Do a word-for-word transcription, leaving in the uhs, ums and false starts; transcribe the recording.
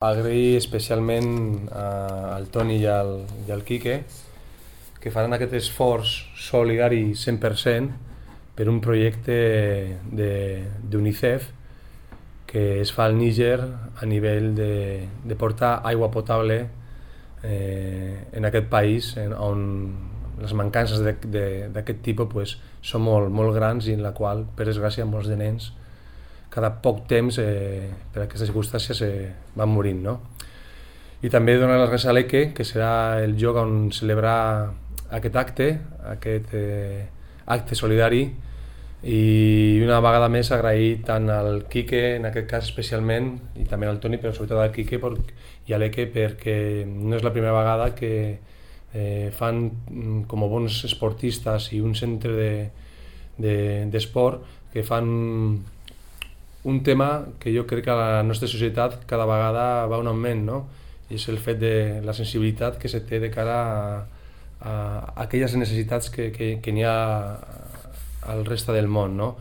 Agrair especialment al Toni i al, i al Quique que faran aquest esforç solidari cent per cent per un projecte d'UNICEF que es fa al Níger a nivell de, de portar aigua potable eh, en aquest país en, on les mancances d'aquest tipus pues, són molt, molt grans i en la qual, per desgràcia, molts de nens cada poc temps, eh, per aquestes circumstàncies, eh, van morint, no? I també donar les gràcies a l'E C E, que serà el lloc on celebrar aquest acte, aquest eh, acte solidari, i una vegada més agrair tant al Quique, en aquest cas especialment, i també al Toni, però sobretot al Quique i a l'E C E, perquè no és la primera vegada que eh, fan com a bons esportistes i un centre d'esport de, de, que fan un tema que jo crec que a la nostra societat cada vegada va un augment, no? I és el fet de la sensibilitat que se té de cara a, a aquelles necessitats que, que, que n'hi ha al resta del món, no?